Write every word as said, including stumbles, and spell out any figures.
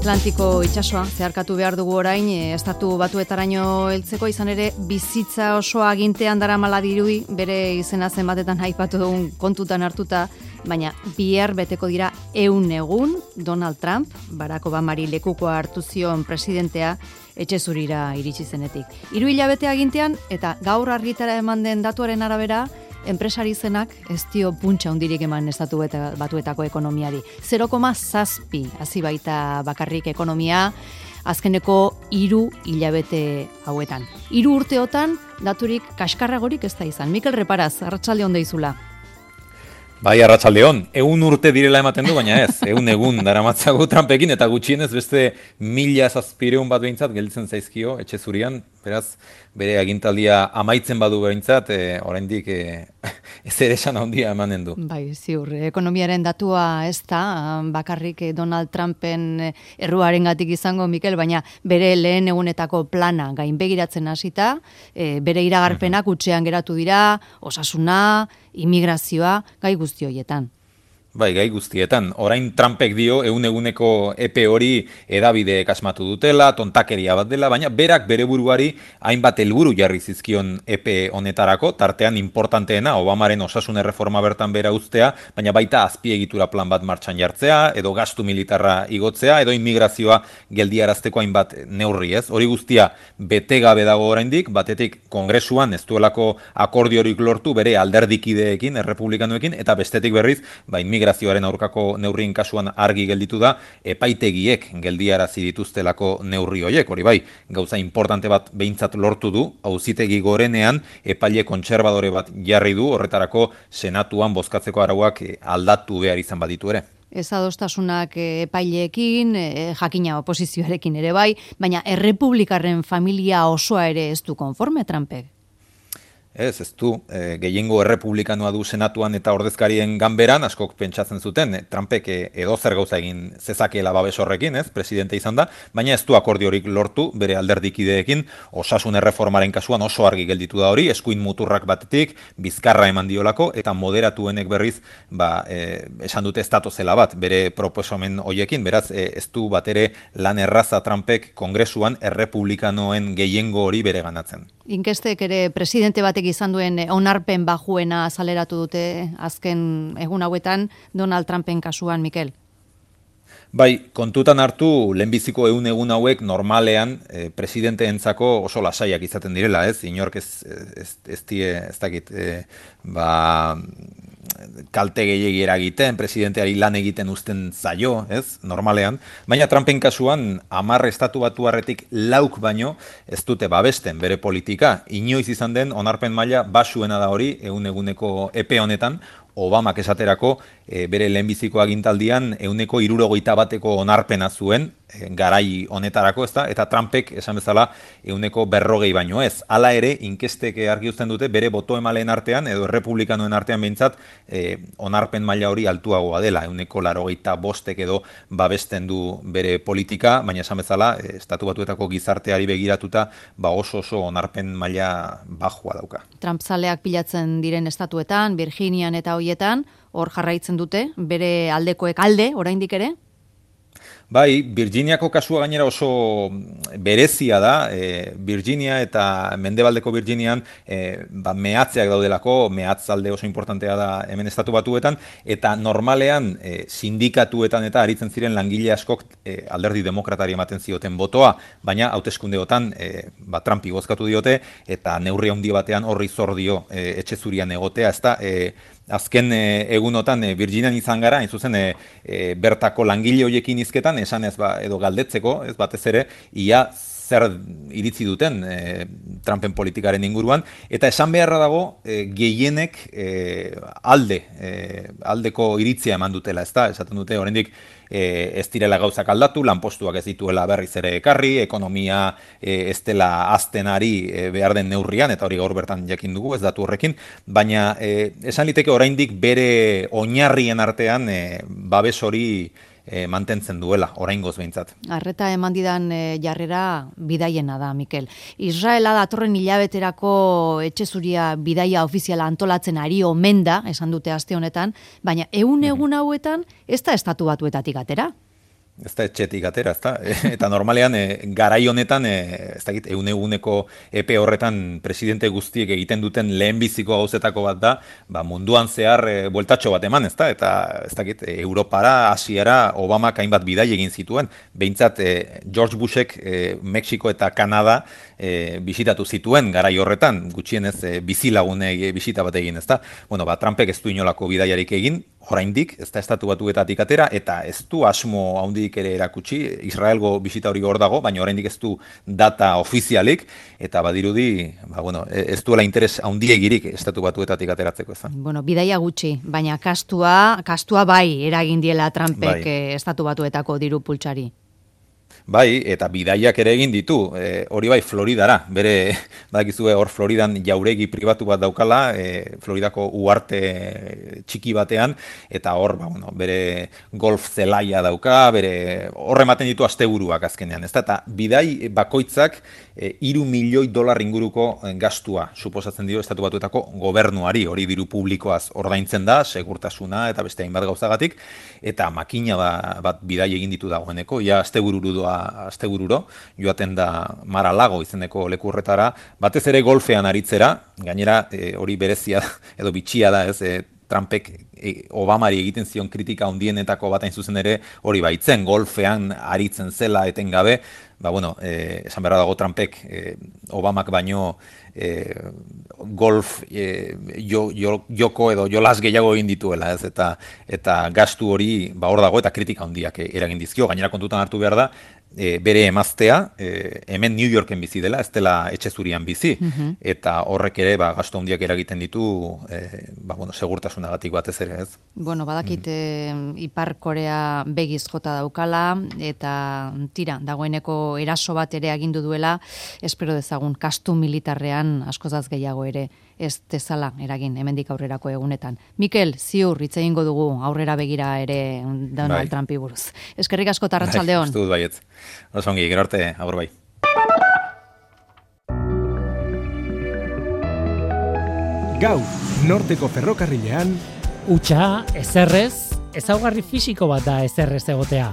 Atlantiko itsasoa zeharkatu behar dugu orain, estatu batuetaraino heltzeko, izan ere bizitza osoa agintean daramala dirudi, bere izena zenbatetan aipatu dugun kontutan hartuta, baina bihar beteko dira ehun egun Donald Trump, Barack Obamari lekukoa hartu zion presidentea, etxe zurira iritsi zenetik. Hiru hilabete agintean eta gaur argitara eman den datuaren arabera, enpresari zenak ez dio puntxa hundirik eman estatu batuetako ekonomiari. zero koma zazpi hasi baita bakarrik ekonomia azkeneko hiru hilabete hauetan. Hiru urteotan daturik kaskarragorik ez da izan. Mikel Reparaz, arratsalde on deizula. Bai, arratsaldeon, ehun urte direla ematen du, baina ez, ehun egun daramatzagu Trumpekin, eta gutxienez beste mila zazpireun bat behintzat gelditzen zaizkio etxe zurian, beraz, bere agintaldia amaitzen badu behintzat, e, oraindik e, ez ere esan handia emanen du. Bai, ziur, ekonomiaren datua ez da, bakarrik Donald Trumpen erruarengatik izango, Mikel, baina bere lehen egunetako plana gainbegiratzen hasita, e, bere iragarpenak utxean geratu dira, osasuna, immigrazioa, gai guzti horietan. Bai, gai guztietan. Orain Trumpek dio ehun eguneko epe hori hedabideek asmatu dutela, tontakeria bat dela, baina berak bere buruari hainbat helburu jarri zizkion epe honetarako, tartean importanteena Obamaren osasun erreforma bertan bera uztea, baina baita azpiegitura plan bat martxan jartzea, edo gastu militarra igotzea, edo immigrazioa geldiarazteko hainbat neurri, ez? Hori guztia bete gabe dago oraindik, batetik Kongresuan ez duelako akordiorik lortu bere alderdikideekin, errepublikanoekin, eta bestetik berriz, ba, migrazioaren aurkako neurrien kasuan argi gelditu da, epaitegiek geldiarazi dituztelako neurri horiek, hori bai, gauza importante bat behintzat lortu du, auzitegi gorenean epaile kontserbadore bat jarri du, horretarako senatuan bozkatzeko arauak aldatu behar izan baditu ere. Ez adostasunak epaileekin, jakina oposizioarekin ere bai, baina errepublikarren familia osoa ere ez du konforme Trumpek. Ez, ez du, e, gehiengo errepublikanoa du senatuan eta ordezkarien ganberan, askok pentsatzen zuten, e, Trumpek edo zer gauza egin zezakeela babes horrekin, ez, presidente izan da, baina ez du akordiorik lortu bere alderdikideekin, osasun erreformaren kasuan oso argi gelditu da hori, eskuin muturrak batetik, bizkarra eman diolako, eta moderatuenek berriz, ba, e, esan dute estatu zela bat, bere proposamen hoiekin, beraz, e, ez du bat ere lan erraza Trumpek kongresuan errepublikanoen gehiengo hori bere ganatzen. Inkestek ere presidente batek izan duen onarpen bajuena azaleratu dute azken egun hauetan Donald Trumpen kasuan, Mikel. Bai, kontutan hartu lehenbiziko ehun egun hauek normalean e, presidenteentzako oso lasaiak izaten direla, ez? Inork ez ez ez die, ez dakit, e, ba kalte gehiegi eragiten, presidenteari lan egiten uzten zaio, ez, normalean, baina Trumpen kasuan hamar estatu batuarretik lauk baino ez dute babesten bere politika, inoiz izan den onarpen maila basuena da hori ehun eguneko epe honetan, Obamak esaterako e, bere lehenbiziko agintaldian ehuneko hirurogeita bateko onarpena zuen, e, garai honetarako, ezta, eta Trumpek esan bezala ehuneko berrogei baino ez. Hala ere, inkestek argi uzten dute bere boto emaleen artean, edo errepublikanoen artean behintzat, e, onarpen maila hori altuagoa dela, ehuneko laurogeita bostek edo babesten du bere politika, baina esan bezala, e, estatu batuetako gizarteari begiratuta, ba oso oso onarpen maila bajua dauka. Trump zaleak pilatzen diren estatuetan, Virginian eta hoietan, hor jarraitzen dute, bere aldekoek alde, oraindik ere? Bai, Virginiako kasua gainera oso berezia da, e, Virginia eta mendebaldeko Virginian e, ba, mehatzeak daudelako, mehatzalde oso importantea da hemen estatu batuetan, eta normalean e, sindikatuetan eta aritzen ziren langile askok e, alderdi demokratari ematen zioten botoa, baina hauteskundeotan e, ba, Trumpi bozkatu diote, eta neurri handi batean horri zor dio e, etxe zurian egotea, ezta, e, azken e, egunotan e, Virginian izan gara, hain zuzen e, e, bertako langile horiekin hizketan, esan ez ba, edo galdetzeko, ez batez ere, ia zer iritzi duten e, Trumpen politikaren inguruan, eta esan beharra dago e, gehienek e, alde, e, aldeko iritzia eman dutela, ezta, esaten dute, oraindik e, ez direla gauzak aldatu, lanpostuak ez dituela berriz ere ekarri, ekonomia e, ez dela aztenari e, behar den neurrian, eta hori gaur bertan jakin dugu, ez datu horrekin, baina e, esan liteke oraindik bere oinarrien artean e, babes hori e, mantentzen duela, oraingoz behintzat. Arreta eman didan e, jarrera bidaiena da, Mikel. Israela datorren hilabeterako etxe zuria bidaia ofiziala antolatzen ari omen da, esan dute aste honetan, baina ehun egun hauetan ez da estatu batuetatik atera? ez da etxetik atera, ez da? Eta normalean, e, garai honetan, e, ez dakit, eune eguneko epe horretan presidente guztiek egiten duten lehenbiziko gauzetako bat da, ba, munduan zehar e, bueltatxo bat eman, ez da? Eta, ez dakit, e, Europara, Asiara, Obamak hainbat bidai egin zituen. Behintzat, e, George Bushek e, Mexiko eta Kanada e, bisitatu zituen garai horretan, gutxienez e, bizilagune e, bisita bat egin, ez da? Bueno, ba, Trumpek ez du inolako bidaiarik egin, oraindik, ez da estatu batuetatik atera, eta ez du asmo handik ere erakutsi, Israelgo bisita hori hor dago, baina oraindik ez du data ofizialik, eta badirudi, ba, bueno, ez duela interes handiegirik estatu batuetatik ateratzeko, ez da. Bueno, bidaia gutxi, baina kastua, kastua bai eragin diela Trumpek bai. Estatu batuetako diru pultsari. Bai, eta bidaiak ere egin ditu, e, hori bai Floridara, bere, badakizue hor Floridan jauregi pribatu bat daukala, e, Floridako uarte txiki batean, eta hor, ba, bueno, bere golf zelaia dauka, bere hor ematen ditu asteburuak azkenean, ezta? Eta bidai bakoitzak e, hiru milioi dolar inguruko gastua suposatzen dio estatu batuetako gobernuari, hori diru publikoaz ordaintzen da, segurtasuna eta beste hainbat gauzagatik, eta makina ba, bat bidai egin ditu dagoeneko, ja astebururu doa astebururo, joaten da Mar-a-Lago izeneko leku horretara, batez ere golfean aritzera, gainera e, hori berezia edo bitxia da, ez, e, Trumpek e, Obamari egiten zion kritika handienetako bat hain zuzen ere hori baitzen, golfean aritzen zela etengabe, ba bueno, e, esan behar dago Trumpek e, Obamak baino e, golf e, jo, jo, joko edo jolas gehiago egin dituela, ez, eta eta gastu hori ba hor dago eta kritika handiak eragin dizkio, gainera kontutan hartu behar da, E, bere emaztea, e, hemen New Yorken bizi dela, ez dela etxe zurian bizi, uh-huh. eta horrek ere ba, gastu handiak eragiten ditu, e, ba, bueno, segurtasunagatik batez ere, ez? Bueno, badakit mm. e, Ipar Korea begiz jota daukala, eta tira, dagoeneko eraso bat ere agindu duela, espero dezagun, kastu militarrean askozaz gehiago ere, ez dezala eragin hemendik aurrerako egunetan. Mikel, ziur, hitz egingo dugu aurrera begira ere Donald bai. Trumpi buruz. Eskerrik asko tarratsaldeon. Bai, dut baietz. Osongi, gero arte, agur bai. Gaur, norteko ferrokarrilean, Utsa, ezerrez, ezaugarri fisiko bat da ezerrez egotea.